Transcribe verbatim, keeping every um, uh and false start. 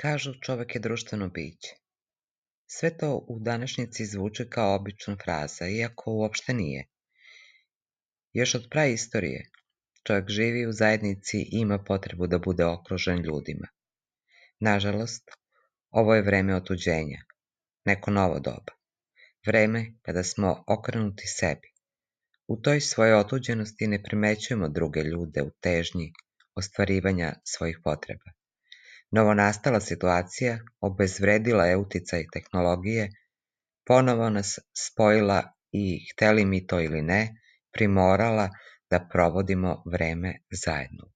Kažu čovek je društveno biće. Sve to u današnjici zvuči kao obična fraza, iako uopšte nije. Još od praistorije čovek živi u zajednici i ima potrebu da bude okružen ljudima. Nažalost, ovo je vreme otuđenja, neko novo doba. Vreme kada smo okrenuti sebi. U toj svojoj otuđenosti ne primećujemo druge ljude u težnji ostvarivanja svojih potreba. Novonastala situacija obezvredila je uticaj tehnologije, ponovo nas spojila i, hteli mi to ili ne, primorala da provodimo vreme zajedno.